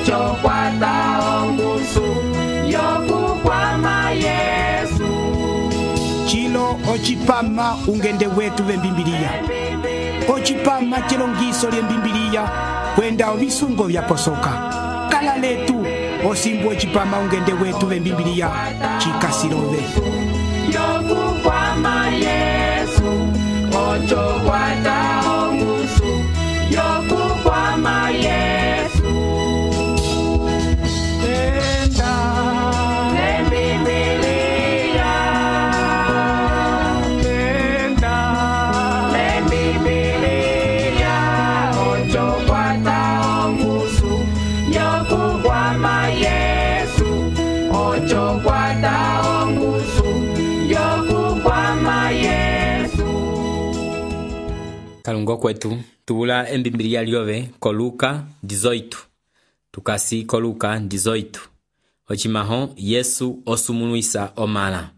ocho kwata ongusu yokukwama Yesu. Chilo ochipama ungende wetu vembimbiliya. Ochipama chilongiso lyembimbiliya kwenda ovisungo vyaposoka. Kala letu osimbu ochipama ungende wetu vembimbiliya chikasilove. Yokukwama Yesu, ocho kwata ongusu yokukwama Yesu. Tenda lembimbiliya, tenda lembimbiliya, ocho kwata ongusu yokukwama Yesu, ocho kwata ongusu yokukwama Yesu. Kalungo kwetu tubula embimbiliya lyove ko Luka 18 tukasi ko Luka 18 ochimaho Yesu osumuluisa omala.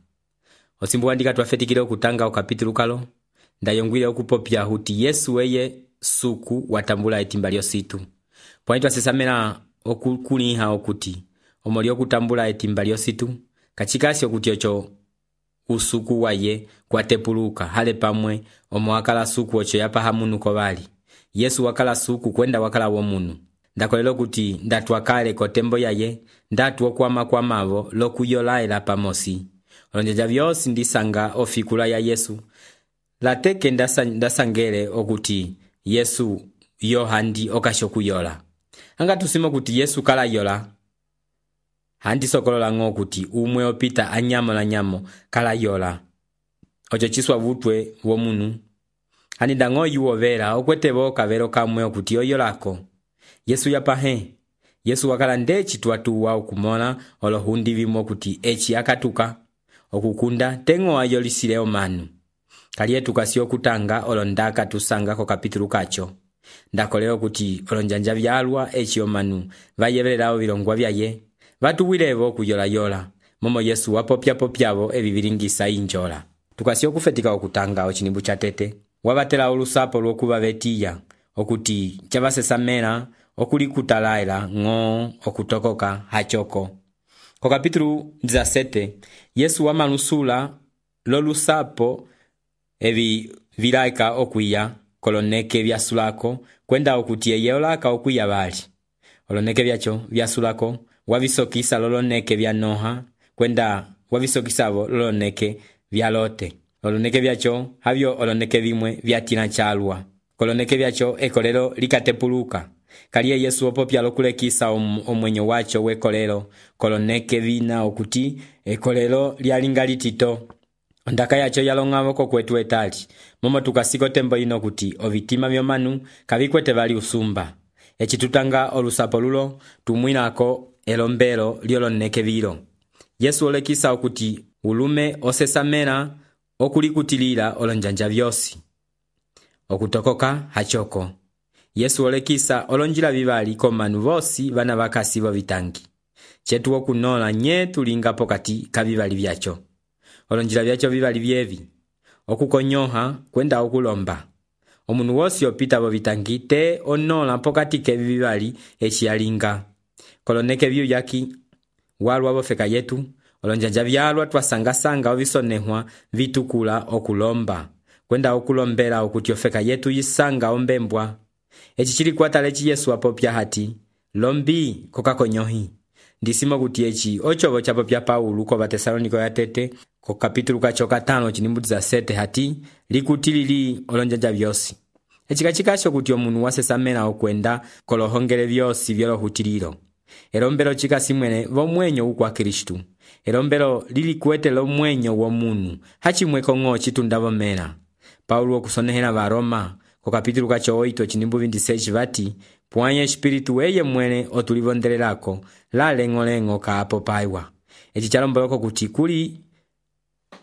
Osimbu andika twafetikile okutanga okapitulu kalo ndayongwile okupopya huti Yesu eye suku watambula etimba lyositu. Pwani twasesamela okukuliha okuti omoli okutambula etimba lyositu kachikasi okuti ocho usuku waye kwatepuluka hale pamwe omwakala suku ocho yapahamunu kovali. Yesu wakala suku kwenda wakala womunu. Ndakolelo kuti ndatwakale kotembo yaye ndatu okwama lokuyolaela pamosi. Olonjeja vyosi ndisanga ofikula ya Yesu. Lateke ndasangele okuti Yesu yohandi okashokuyola. Anga tusimo kuti Yesu kala yola. Handi sokolola ngo kuti umwe opita anyamo na nyamo kala yola. Ocho chiswa vutwe womunu. Hani dango yuovera okwetebo kavero kamwe okuti oyolako. Yesu yapahe. Yesu wakala ndechi tuwatuwa okumona olohundi vimo kuti echi akatuka. Okukunda tengo ayolisile omanu. Kaliye tukasi okutanga olondaka tusanga ko kapitulu kacho. Ndakoleo kuti olonjanja vyalwa echi omanu vayevelelao vilongwa vyaye. Vatuwilevo kuyola yola. Momo Yesu wapopya eviviringisa injola. Tukasi okufetika okutanga ochinimbu cha tete. Wabatela olusapo lwokuba betiya okuti chabasesamela okulikutalaila ngo okutokoka hachoko. Ko kapitulu 17 Yesu wamalusula lolusapo evi vilaika okuya koloneke vyasulako kwenda okuti eyolaka okuya bali. Oloneke vyacho vyasulako wavisokisa loloneke vya Noha kwenda wavisokisavo loloneke vya Lote. Oloneke vyacho havyo oloneke vimwe vyatina chalwa. Koloneke vyacho ekolelo likatepuluka. Kaliye Yesu opopya lokulekisa omwenyo wacho wekolelo. Koloneke vina okuti ekolelo lyalingalitito. Ondaka yacho yalongamo ko kwetu etali. Momo tukasiko tembo ino kuti ovitima vyomanu kavikwete vali usumba. Echitutanga olusapo lulo tumwinako elombelo lyoloneke vilo. Yesu olekisa okuti ulume osesamela okulikutilila olonjanja vyosi. Okutokoka hachoko. Yesu olekisa olonjila vivali komanu vosi vana vakasi vo vitangi. Chetu okunola nye tulinga pokati kavivali vyacho. Olonjila vyacho vivali vyevi. Okukonyoha kwenda okulomba. Omunu wosi opita vo vitangi te onola pokati kevivali echialinga. Koloneke vyu yaki walwa vofeka yetu. Olonjanja vyalwa twasanga ovisonehwa vitukula okulomba. Kwenda okulombela okuti ofeka yetu yisanga ombembwa. Echi chili kwatalechi Yesu apopya hati. Lombi kokakonyohi. Ndisimo kuti echi ochovo chapopya Paulo ko Batesaloniko ya tete. Ko kapitulu kacho 5 chinimbu 17 hati. Likutilili olonjanja vyosi. Echi kachikasho kuti omunu wasesamela okwenda kolohongele vyosi vyolohutililo. Elombelo chikasi mwene vomwenyo ukwa Kristu. Elombelo lili kuete lomwenyo womunu. Hachimwe kongo chitundavo mela. Paulo kusonehela va Roma. Ko kapitulu kacho 8 chinimbu 26 vati. Puanye espiritu eye mwene otulivondelelako. La lengo kaapo paiwa. Echi chalomboloko kuti kuli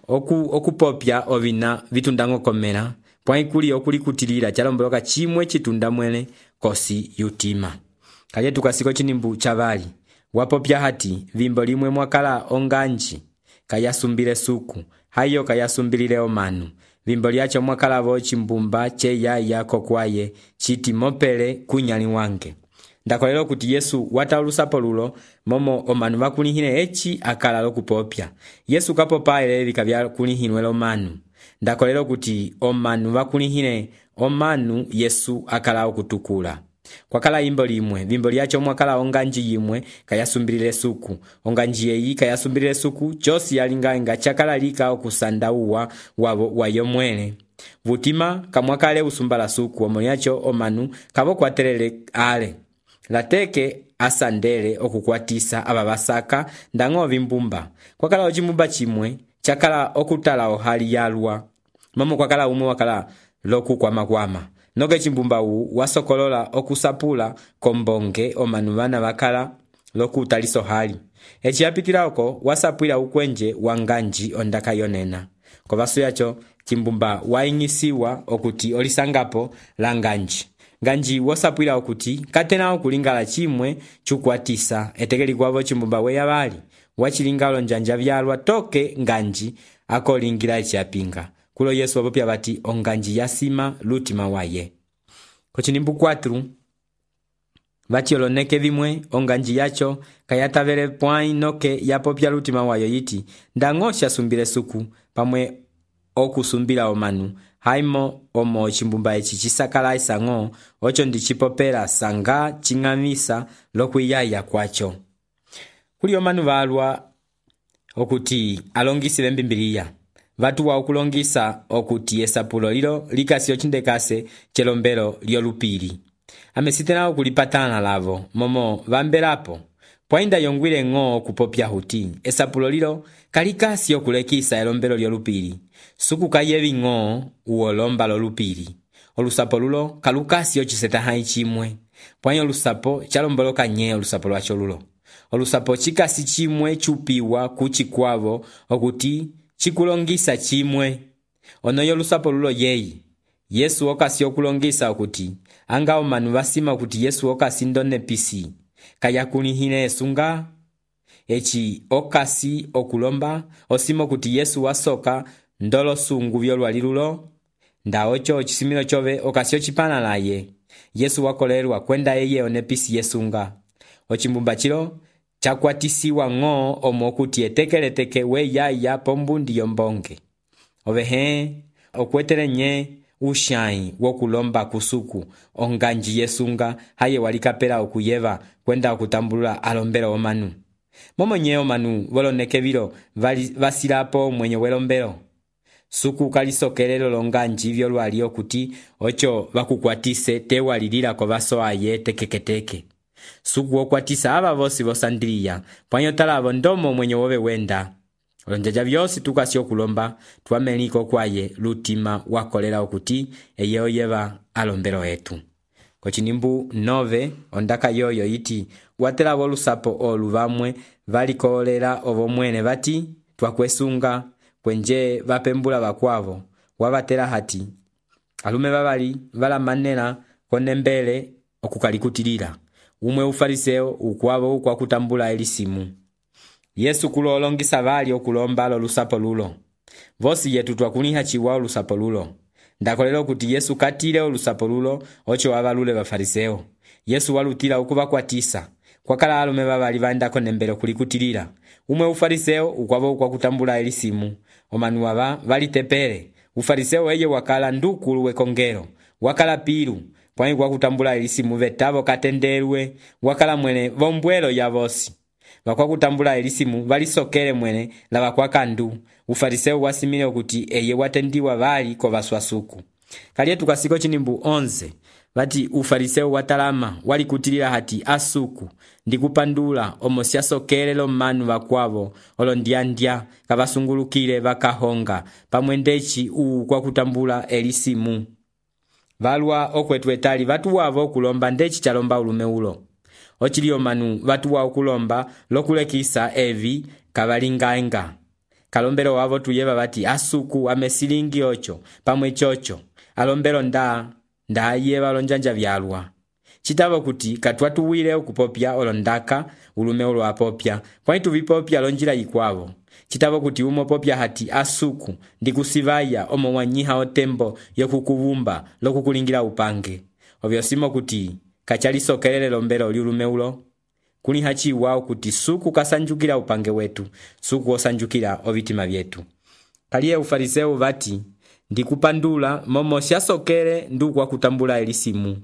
okupopya ovina vitundango komela. Puanye kuli okulikutilila chalomboloka chimwe chitunda mwene kosi yutima. Kaje tukasiko chinimbu chavali. Wapopya hati vimbo limwe mwakala onganji. Kayasumbile suku. Hayo kayasumbilile omanu. Vimbo lyacho mwakala vo chimbumba che yaya kokwaye. Chiti mopele kunyali wange. ndakolera kuti Yesu wata olusapo lulo momo omanu vakulihile eci akala lokupopya. Yesu kapopa ele vika vyakulihilwe omanu. Ndakolera kuti omanu vakulihile omanu Yesu akala okutukula. Kwakala imbo limwe, vimbo lyacho mwakala onganji yimwe kayasumbilile suku. Onganji yeyi kayasumbilile suku, chosi yalinga chakala lika okusanda uwa wayo mwene. Vutima kamwakale usumbala suku, omoniacho omanu kavo kwatelele ale. Lateke asandele okukwatisa ababasaka ndango vimbumba. Kwakala ojimbumba chimwe, chakala okutala ohali yalwa. Momo kwakala umwe wakala loku kwama. Noge chimbumba wasokolola okusapula kombonge omanu vana vakala loku taliso hali. Echi yapitila oko wasapwila ukwenje wanganji ondaka yonena. Kovasu yacho chimbumba waingisiwa okuti olisangapo la nganji. Nganji wasapwila okuti katena okulingala chimwe chukwatisa etekeli kwavo chimbumba weya vali. Wachilingalo njanja vyalwa toke nganji akolingira echiapinga. Kulo Yesu wapopya bati onganji yasima lutima waye. Kochinimbu 4 vati oloneke vimwe onganji yacho kayatavele pwai noke yapopya lutima wayo yiti ndangosha sumbile suku pamwe okusumbila omanu haimo omo chimbumba echi chisakala isango ocho ndichipopela sanga chingamisa lokuyaya kwacho. Kuli omanu valwa okuti alongisile mbimbiliya. Vatu wa okulongisa okuti esapulo lilo likasi ochindekase chelombelo lyolupili. Amesitena okulipatana lavo momo vambelapo. Pwainda yongwile ngo kupopya huti. Esapulo lilo kalikasi okulekisa elombelo lyolupili. Suku kayevi ngo uolomba lolupili. Olusapo lulo kalukasi ochiseta haichimwe. Pwainda olusapo chalomboloka nye olusapo lwacho lulo. Olusapo chikasi chimwe chupiwa kuchikwavo okuti chikulongisa chimwe. Onoyo lusapo lulo yeyi. Yesu okasi okulongisa okuti anga omanu vasima okuti Yesu okasi ndone pisi. Kayakulihile esunga. Echi okasi okulomba osimo okuti Yesu wasoka ndolo sungu vyolwali lulo. Nda ocho chisimilo chove okasi ochipana laye. Yesu wakolelwa kwenda eye onepisi yesunga. Ochimbumba chilo chakwatisiwa ngo omokuti etekeleteke we yaya pombundi yombonge. Ovehe okwetele nye ushai wokulomba kusuku onganji yesunga haye walikapela okuyeva kwenda okutambulula alombelo omanu. Momo nye omanu voloneke vilo vasilapo mwenye welombelo. Suku kalisokelelo longanji vyolwali okuti ocho vakukwatise tewalilila kovaso aye tekeketeke. Suku okwatisa aba vosi vosandiliya pwanyo talavo ndomo mwenye wobe wenda. Olonjaja vyosi tukasi okulomba tuameliko kwaye lutima wakolela okuti eye oyeva alombelo etu. Kochinimbu 9 ondaka yoyo iti watela volusapo olu vamwe valikolera ovo mwene vati twakwesunga kwenje vapembula vakwavo wavatela hati alume vavali valamanela konembele okukalikutilila. Umwe ufariseo ukwavo ukwakutambula elisimu. Yesu kulo olongisa vali okulomba lo lusapo lulo. Vosi yetu twakuliha chiwa olusapo lulo. Ndakolelo kuti Yesu katile olusapo lulo ocho wavalule vafariseo. Yesu walutila ukuvakwatisa. Kwakala alume vavali vandako nembele kulikutilila. Umwe ufariseo ukwavo ukwakutambula elisimu. Omanu wava valitepele. Ufariseo eye wakala ndukulu wekongelo. Wakala pilu. Pwani kwa kutambula elisimu vetavo katendelwe. Wakala mwene vombwelo ya vosi. Wakwa kutambula elisimu valisokele mwene la wakwa kandu. Ufariseo wasimile okuti eye watendiwa vali kovaswasuku. Kalietu kasiko chinimbu 11. Vati ufariseo watalama wali kutilila hati asuku. Ndikupandula omosia sokele lo manu wakwavo. Olondiandia kavasungulukile vakahonga. Pamwendechi kwa kutambula elisimu. Valwa okwetwetali vatu wavo kulomba ndechi chalomba ulume ulo. Ochilio manu vatu wa okulomba lokulekisa evi kavalingaenga. Kalombelo wavo tuyeva vati asuku amesilingi ocho pamwe chocho. Alombelo nda yeva lonjanja vyalwa. Chitavo kuti katwatuwile okupopya olondaka ulume ulo apopya. Kwani tuvipopya lonjila ikwavo. Chitavo kuti umopopya hati asuku ndikusivaya omo wanyiha otembo yokukuvumba lokukulingira upange. Ovyosimo kuti kachalisokelele lombelo lyulume ulo kuli hachiwa kuti suku kasanjukila upange wetu, suku osanjukila ovitima vyetu. Kaliye ufariseu vati ndikupandula momo syasokele ndukwa kutambula elisimu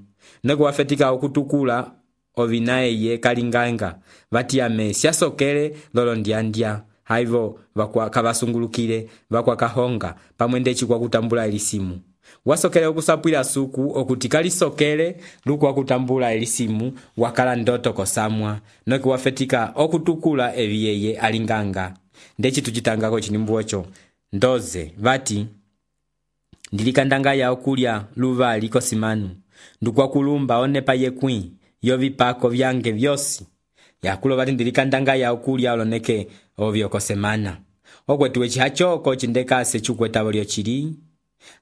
nego wafetika okutukula ovinaye kalinganga vati ame syasokele lolo ndiandya haivo vakwa kavasungulukile vakwa kahonga pamwendechi kwa kutambula elisimu. Wasokele okusapwila suku okuti kalisokele lukwa kutambula elisimu wakala ndoto kosamwa noki wafetika okutukula eviyeye alinganga. Ndechi tuchitangako chinimbu ocho ndoze vati ndilikandanga ya okulya luva liko simanu ndukwa kulumba onepa yekwi yovipako vyange vyosi yakulo vati ndilikandanga ya okulya oloneke ovyoko semana okwetuwe chihachoko chindekase chukwetavo lyo chili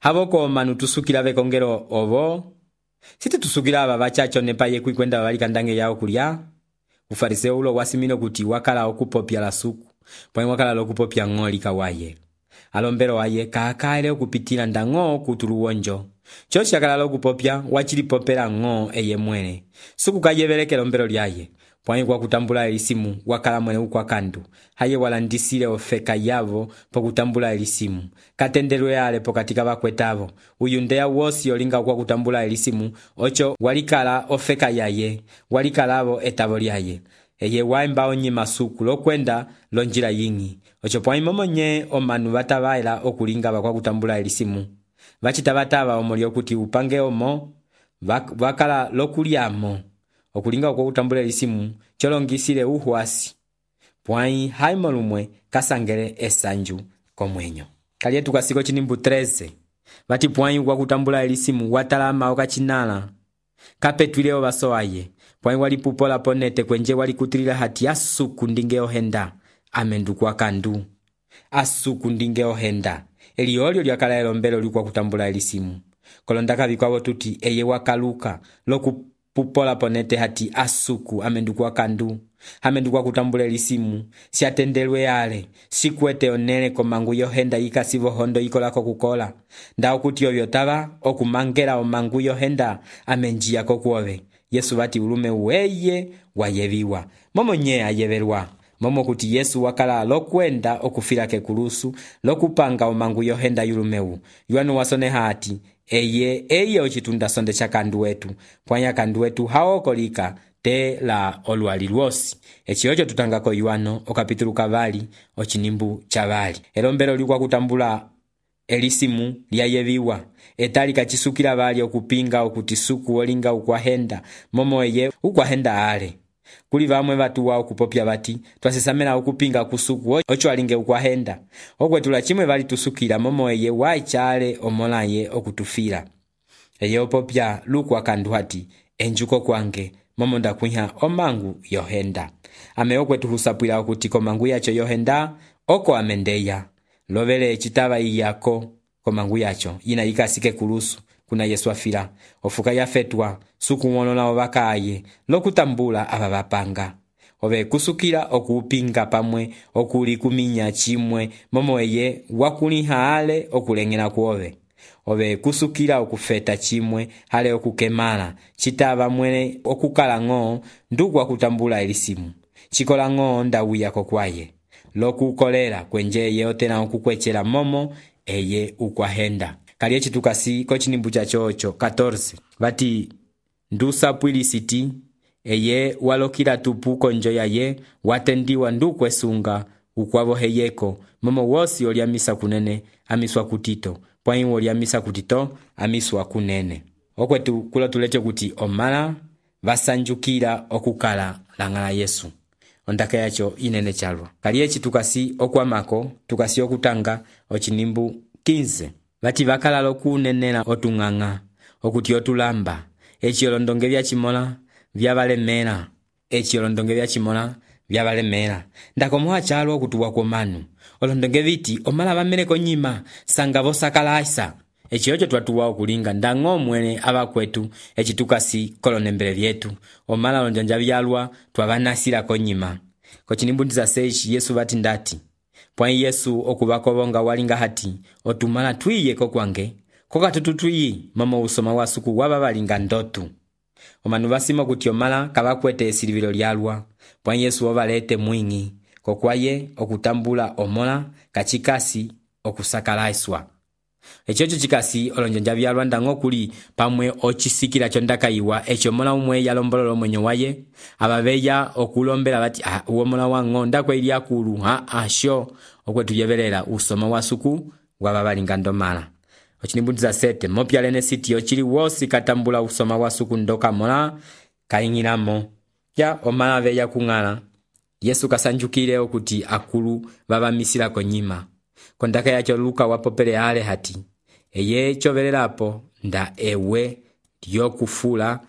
havoko manu tusukila vekongelo ovo siti tusukila ava vachacho nepa yekwi kwenda valikandange ya okulya. Ufariseo ulo wasimino kuti wakala okupopya la suku pwa wakala lokupopya ng'oli kawaye alombelo waye kaakaile okupitila ndang'o kutulu wonjo chochi akala lokupopya wachilipopela ng'o eye mwene suku kayeveleke lombelo lyaye pwa kwa kutambula elisimu wakala mwene ukwa kandu haye walandisile ofeka yavo po kutambula elisimu katendelwe ale pokatika vakwetavo uyundeya wosi olinga kwa kutambula elisimu ocho walikala ofeka yaye walikalavo etavo lyaye eye waimba onyima suku lokwenda lonjila yingi ocho pwa imomonye omanu vatavaila okulinga vakwa kutambula elisimu vachitavatava omoli okuti upange omo vakala lokuliamo okulinga kwa kutambula elisimu cholongisile uhuasi pwai haimo lumwe kasangele esanju komwenyo. Kaliye tukasiko chinimbu 13 vati pwai kwa kutambula elisimu watalama okachinala kapetwileo vasoaye pwai walipupola ponete kwenje walikutilila hati asuku ndinge ohenda amendu kwa kandu asuku ndinge ohenda eliolyo lyakala elombelo likwa kutambula elisimu kolondaka vikwavo tuti eye wakaluka lokupupola ponete hati asuku amendu kwa kandu amendu kwa kutambula elisimu siatendelwe yale sikwete onele komangu yohenda ikasivo hondo ikolako kukola nda okuti ovyo tava okumangela omangu yohenda amenjia kokuove Yesu vati ulume uweye wayeviwa momo nye ayevelwa momo kuti Yesu wakala lokwenda okufila kekulusu lokupanga omangu yohenda yulumeu yuanu wasone hati eye ochitunda sonde cha kandu wetu pwanya kandu wetu haokolika te la olwali lwosi echiocho tutangako yuano okapitulu kavali ochinimbu chavali elombelo likwa kutambula elisimu lyayeviwa etali kachisukila vali okupinga okuti suku olinga ukwahenda momo eye ukwahenda ale kuli vamwe vatuwa okupopya vati twasisamela okupinga kusuku ocho alinge ukwahenda okwetula chimwe vali tusukila momo eye waichale omolaye okutufila eye opopya lukwa kandu hati enjuko kwange momo ndakwiha omangu yohenda ame okwetu husapwila okuti komangu yacho yohenda oko amendeya lovele chitava iyako komangu yacho ina ikasike kulusu kuna Yesu afila ofuka yafetwa suku mwonola ovakaye lokutambula ava vapanga ove kusukila okupinga pamwe okuli kuminya chimwe momo eye wakuliha ale okulengela kuove ove kusukila okufeta chimwe hale okukemala chitava mwene okukala ng'o ndukwa kutambula elisimu chikola ng'o ndawuya kokwaye lokukolela kwenje yeotena okukwechela momo eye ukwahenda. Kaliye chitukasi kochinimbu chachocho 14 vati ndusapwilisiti eye walokila tupu konjo yaye watendiwa ndukwesunga ukwavo heyeko momo wosi oliamisa kunene amiswa kutito pwai oliamisa kutito amiswa kunene okwetu kula tuleche kuti omala vasanjukila okukala langala Yesu ondaka yacho inene chalwa. Kaliye chitukasi okwamako tukasi okutanga ochinimbu 15 vati vakala lokunenela otung'ang'a okuti otulamba echiolondonge vya chimola vyavalemela echiolondonge vya chimola vyavalemela ndakomoha chalo okutuwa komanu olondonge viti omala vameleko nyima sanga vosakalaisa echiocho twatuwa okulinga ndang'o mwene avakwetu echitukasi kolonembele vyetu omala lonjanja vyalwa twavanasila konyima kochinimbu 16 Yesu vati ndati pwai Yesu okuvakovonga walinga hati otumala twiye kokwange kokatutu twiyi mama usoma wasuku wava valinga ndotu omanu vasima kuti omala kavakwete esilivilo lyalwa, pwãyi Yesu ovalete mwing'i kokwaye okutambula omola kacikasi okusakalaiswa. Echo cikasi olonjanja vyalwa ndañgo kuli pamwe ocisikila chondakayiwa eci omola umwe yalombolola omwenyo waye abaveya okulombela bati uwo mola wango ndakweili akulu sho okwetu yevelela usoma wasuku wababalinga ndomala. Ochinimbudiza 7 mopyalene siti ochili wosi katambula usoma wasuku ndoka mola kaingilamo ya omala veya kung'ala. Yesu kasanjukile okuti akulu babamisila konyima. Kondaka yacho Luka wapopele ale hati eye chovelelapo nda ewe lyokufula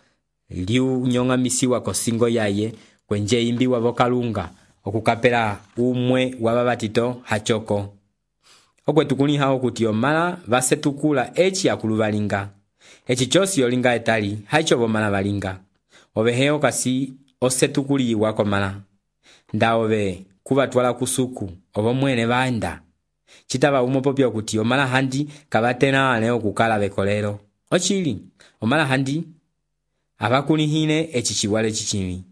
liunyong'amisiwa kosingo yaye kwenje imbi wavokalunga okukapela umwe wababatito hachoko. Okwetu kuliha okuti omala vasetukula eci akulu balinga. Eci chosi olinga etali haicho bomala balinga. Oveheo kasi osetukuliwa komala. Nda ove kubatwala kusuku ovo mwene baenda. Chitaba umopopya okuti omala handi kabatena ane okukala bekolero. Ochili omala handi abakulihine eci chiwale chichimi.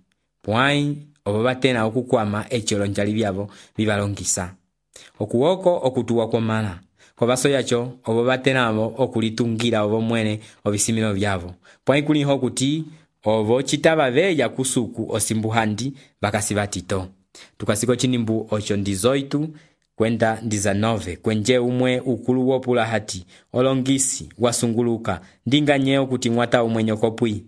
Pwãyi ovo batena okukwama eci olonjali byabo bibalongisa. Okuwoko okutuwa komala. Kobaso yacho ovo batena abo okulitungira ovo mwene obisimilo byabo. Pwãyi kuliho okuti ovo chitaba beya kusuku osimbu handi bakasibatito. Tukasiko chinimbu ocho ndizoitu kwenda ndiza 9 kwenje umwe ukulu wopula hati olongisi wasunguluka ndinga nyeo kuti mwata umwenyo kopwi.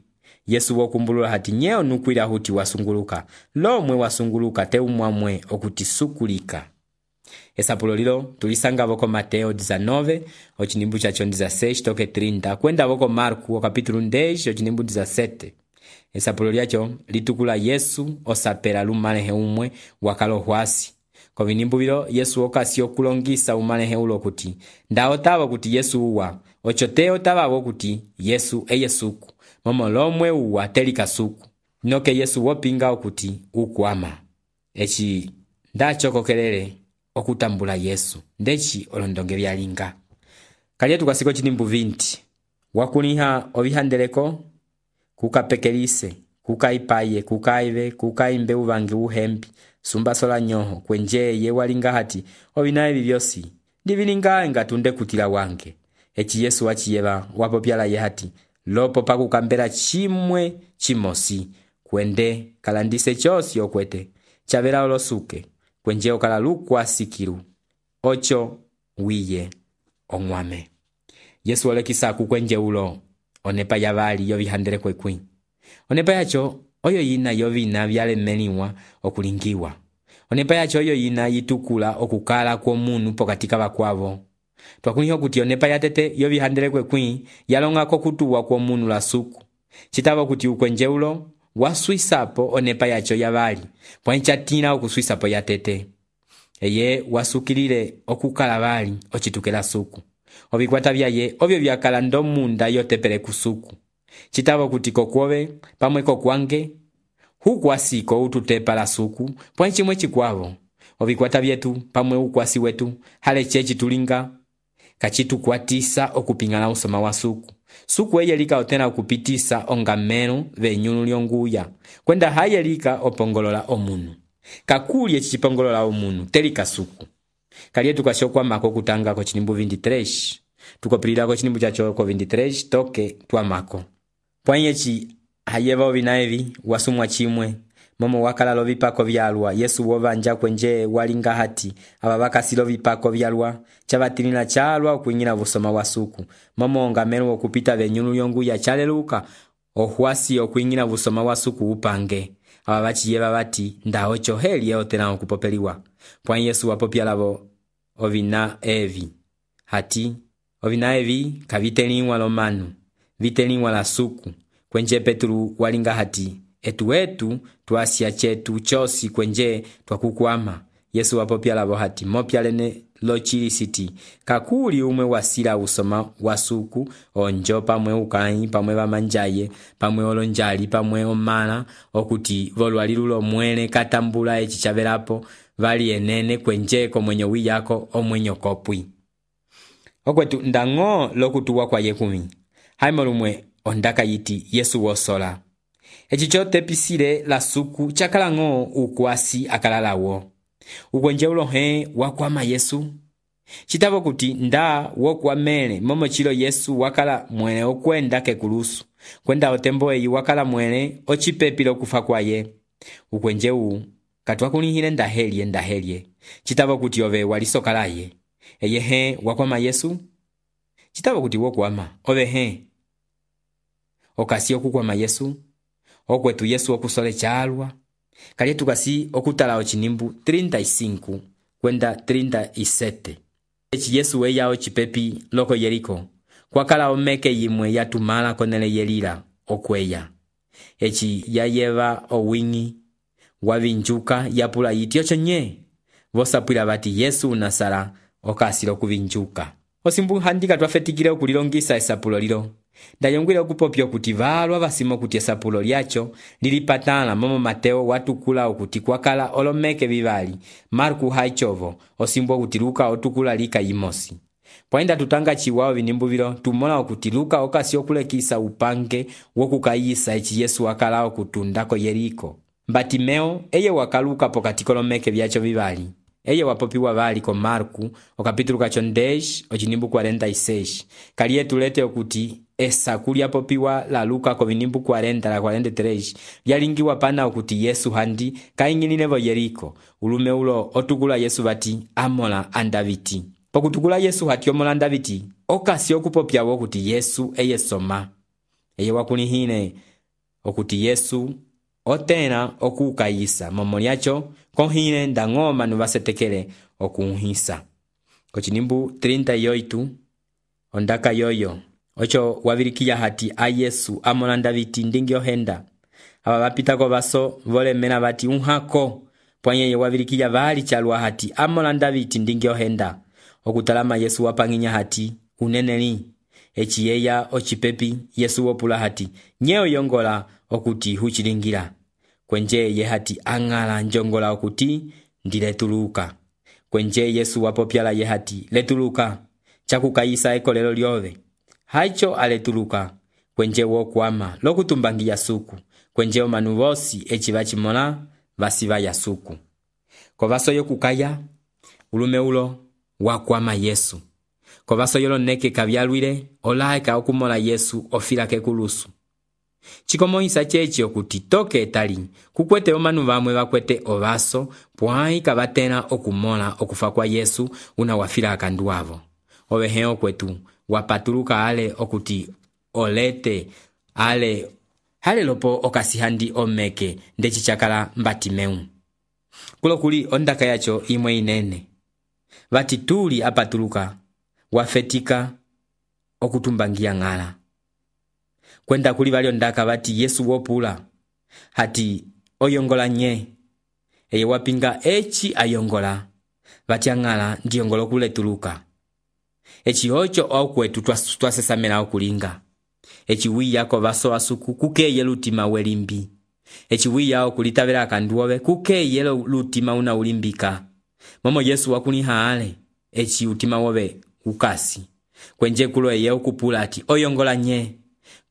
Yesu wokumbulula hati nyeo nukwila huti wasunguluka lomwe wasunguluka te umwamwe okuti sukulika. Esapulo lilo tulisanga voko Mateo 19 ochinimbu chacho ndiza 6 toke 30 kwenda voko Marku kapitulu 10 ochinimbu ndiza 7. Esapulo lyacho litukula Yesu osapela lumalehe umwe wakalohwasi. Kovinimbu bilo Yesu okasi okulongisa umalehe ulo kuti nda otava kuti Yesu uwa ochote otava kuti Yesu eyesuku momo lomwe uwa telika suku noke Yesu wopinga okuti ukwama. Eci ndachokokelele okutambula Yesu ndechi olondonge byalinga. Kalye tukasiko chinimbu 20 wakuliha obihandeleko kukapekelise kukaipaye kukaive kukaimbe uvangi uhembi sumba sola nyoho kwenje ye walinga hati obinaye bibyosi ndivilinga ngatunde kutila wange. Eci Yesu wachiyeba wapopyala ye hati lopo pakukambela chimwe chimosi kwende kalandise chosi okwete chavela olosuke kwenje okala lukwa sikiru ocho wiye ongwame. Yesu olekisa kukwenje ulo onepa yabali yobihandele kwekwi. Onepa yacho oyo yina yovina byalemeliwa okulingiwa. Onepa yacho oyo yina yitukula okukala kwa munu pokatika bakwavo. Twakuliho kuti onepa yatete yobihandele kwekwi yalonga kokutuwa kwa munu la suku. Chitaba kuti ukwenje ulo waswisapo onepa yacho yabali pwanchatina okuswisapo yatete. Eye wasukilile okukala bali ochitukela suku. Obikwata byaye obyo byakala ndomunda yotepele kusuku. Chitaba kuti kokwobe pamwe kokwange hukwasiko ututepa la suku pwanchimwe chikwavo. Obikwata byetu pamwe ukwasi wetu hale chechi tulinga kachitukwatisa okupingana usoma wa suku. Suku eyelika otena okupitisa ongamenu venyunu lyonguya kwenda hayelika opongolola omunu. Kakuli echichipongolola omunu telika suku. Kalye tukashokwa mako kutanga ko chinimbu 23 tukopilira ko chinimbu chacho ko 23 toke twamako. Pwanyechi hayeva obinaevi wasumwa chimwe momo wakala lovipako vyalwa. Yesu wovanja kwenje walinga hati ababakasi lovipako vyalwa chabatilina chalwa okuingina busoma wasuku momo ongamenu okupita venyunu lyonguya chaleluka ohwasi okuingina busoma wasuku upange. Ababachiyeba bati nda ocho heli yotena okupopeliwa. Pwan Yesu wapopyalabo ovina evi hati ovina evi kaviteliwa lomanu viteliwa la suku kwenje Petru walinga hati etu tuasya chetu chosi kwenje twakukwama. Yesu wapopyalabo hati mopyalene lochilisiti kakuli umwe wasila usoma wasuku onjo pamwe ukai pamwe bamanjaye pamwe olonjali pamwe omala okuti volwalilulo mwene katambula echichabelapo vali enene kwenjeko mwenyo wiyako omwenyo kopwi. Okwetu ndango lokutuwa kwa yekumi haimo lumwe ondaka yiti Yesu wosola. Eci cotepisile la suku cakala-ng'o ukwasi akalalawo. Ukwenje ulohe wakwama Yesu. Citavo kuti nda wokwamele momo cilo Yesu wakala mwele okwenda kekulusu. Kwenda otembo eyi wakala mwele ocipepile okufa kwaye. Ukwenje u katwakulihile ndahelye. Citavo kuti ove walisokalaye. Eyehe wakwama Yesu. Citavo kuti wokwama. Ove he. Okasi okukwama Yesu. Okwetu Yesu okusole chalwa. Kali tukasi okutala ochinimbu 35 kwenda 37. Eci Yesu weya ocipepi loko Yeriko. Kwakala omeke yimwe yatumala konele yelila okweya. Eci yayeva owingi wavinjuka yapula yiti ocho nye. Vosapwila bati Yesu unasala okasilo kuvinjuka. Osimbu handika twafetikile okulilongisa esapulo lilo. Ndayongwile okupopyo kuti valwa basimo kuti esapulo lyacho lilipatala momo Mateo watukula okuti kwakala olomeke vivali Marku haichovo osimbo kuti Luka otukula lika yimosi. Pwainda tutanga chiwao vinimbu vilo tumola okuti Luka okasi okulekisa upange wokukayisa eci Yesu wakala okutundako Yeriko. Batimeo eye wakaluka pokati kolomeke vyacho vivali. Eye wapopiwa vali ko Marku okapitulu kacho 10 ochinimbu 46. Kaliye tulete okuti esa kulia popiwa la Luka ko vinimbu 40 la 43 yalingiwa pana okuti Yesu handi kaingililevo Yeriko. Ulume ulo otukula Yesu bati amola andaviti. Pokutukula Yesu hati omola andaviti okasi okupopyawo okuti Yesu eye soma. Eye wakulihine okuti Yesu otena okukayisa momoliacho kohine ndang'oma nuvasetekele okunhisa. Kochinimbu 38 ondaka yoyo ocho wavirikiya hati a Yesu amola ndaviti ndingi ohenda. Aba bapitako baso volemena bati unhako. Pwanyeye wavirikiya vali chalwa hati amola ndaviti ndingi ohenda. Okutalama Yesu wapanginya hati uneneli. Eci yeya ocipepi Yesu wopula hati nyeo yongola okuti huchilingira. Kwenje ye hati angala njongola okuti ndiletuluka. Kwenje Yesu wapopyala ye hati letuluka chakukayisa ekolelo lyove. Haicho aletuluka. Kwenje wokwama lokutumbangiya suku. Kwenje omanu vosi eci vachimola vasiva ya suku. Kovaso yokukaya ulume ulo wakwama Yesu. Kovaso yolo neke kavyalwile olaeka okumola Yesu ofila kekulusu. Chikomohisa chechi okuti toke etali kukwete omanu vamwe vakwete ovaso pwai kavatena okumola okufa kwa Yesu una wafila akanduavo. Ovehe okwetu wapatuluka ale okuti olete ale hale lopo okasihandi omeke ndechi chakala Batimeu. Kulo kuli ondaka yacho imwe inene. Vati tuli apatuluka wafetika okutumbangia ngala. Kwenda kuli vali ondaka vati Yesu wopula hati oyongola nye. Eye wapinga echi ayongola vati angala ndiyongola kuletuluka. Echi ocho okwetu twasesamela okulinga. Echi wiyako vaso asuku kukeye lutima welimbi. Echi wiyao kulitavela akanduove kukeye lutima una ulimbika. Momo Yesu wakuniha ale echi utima wove ukasi. Kwenje kulo eye okupula ati oyongola nye.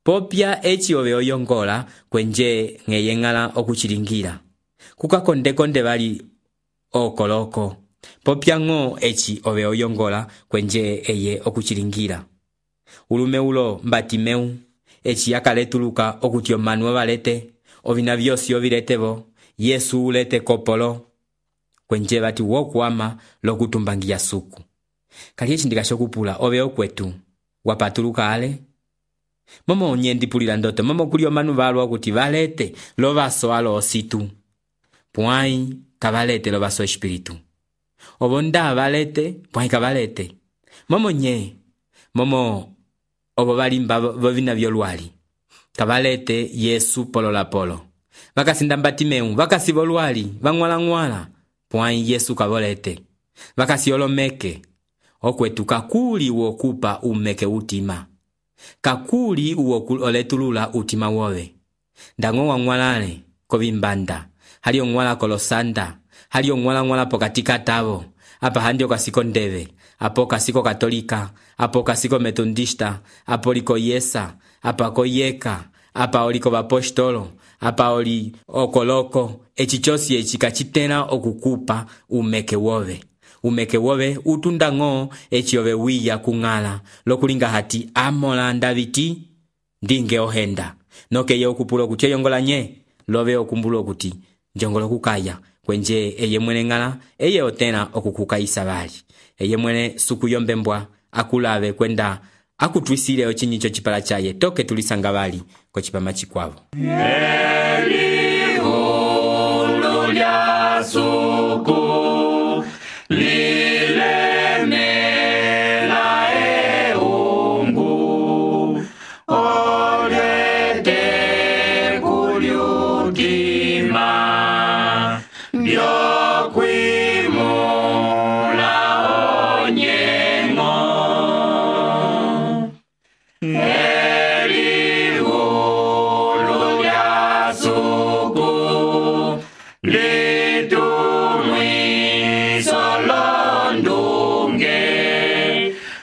Popya echi ove oyongola kwenje ngeye ngala okuchilingira. Kukakonde vali okoloko. Popya ngo echi ove oyongola kwenje eye okuchilingira. Ulume ulo Batimeu echi yakaletuluka okuti omanu valete ovina vyosi oviletevo Yesu ulete kopolo. Kwenje vati wokwama lokutumbangiya suku. Kali echi ndikashokupula ove okwetu wapatuluka ale. Momo nyendipulila ndoto momo kuli omanu valwa okuti valete lovaso alo ositu. Pwai kavalete lovaso espiritu. Obonda valete pwai kavalete. Momo nye momo obo valimba vovina vyolwali kavalete Yesu polo polo. Vakasinda Batimeu vakasi volwali vangwala pwai Yesu kavolete. Vakasi olomeke okwetu kakuli wokupa umeke utima. Kakuli oletulula utima wove. Ndango wangwalale kovimbanda. Hali ongwala kolosanda. Hali ongwala pokati katavo. Apa handi okasiko ndeve. Apo kasiko katolika. Apo kasiko metodista. Apo liko yesa. apa koyeka, apa oli kovapostolo, apa oli okoloko, eci cosi eci kacitela okukupa umeke wove. Umeke wove utunda eci ove wiya kung'ala lokulinga hati amolanda viti ndinge ohenda. Nokeye okupula okuti eyongola nye, love okumbula okuti njongolo kukaya kwenje eye mwene ng'ala eye otena okukukaisa bali. Eye mwene suku yombembwa akulave kwenda akutwisile ochinyicho chipala chaye toke tulisanga bali ko chipama chikwavo. Elihulu lya suku lilemela eungu olyete kulyutima byokwimula onyengo. Elihulu lya suku litumwiso londunge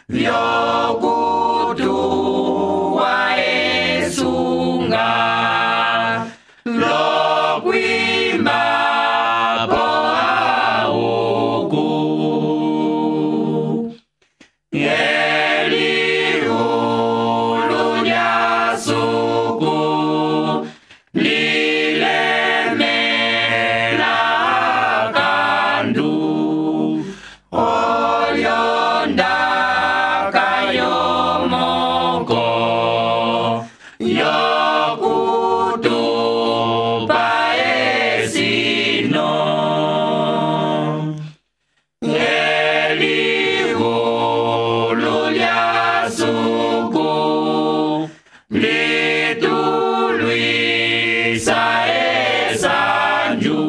vyokutuwa esunga lokwimba po auku. Elihulu lya suku lilemela kandu olyonda kayomoko yokutupa esino. Elihulu lya suku litulwisa esanju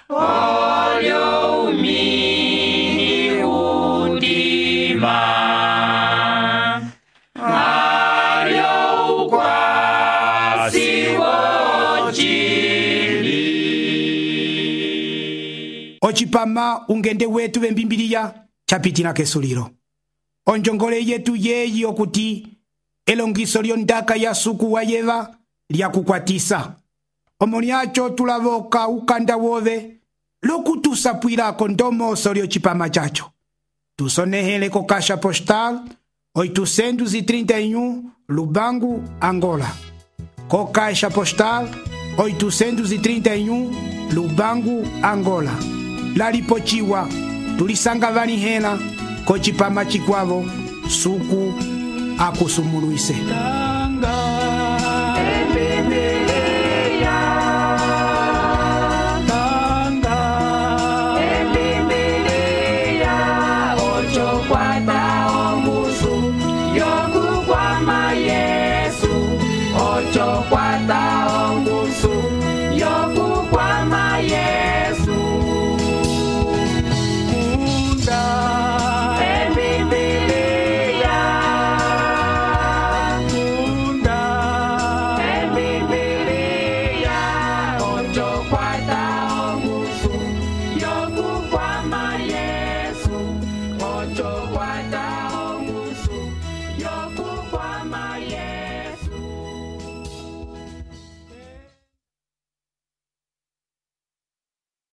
olyo umini undima alyo ukwasi wochili. Ochipama ungende wetu vembimbiliya chapitila kesulilo. Onjongole yetu yeyi okuti elongiso lyondaka ya suku wa yeva lyakukwatisa. Omolyacho tulavoka ukanda wove lokutusapwilako ndomoso lyochipama chacho. Tusonehele ko Caixa Postal 831 Lubangu, Angola. Ko Caixa Postal 831 Lubangu, Angola. Lalipochiwa tulisanga vanihela ko chipama chikwavo suku akusumuluise. Yokukwama Yesu, ocho kwata ongusu.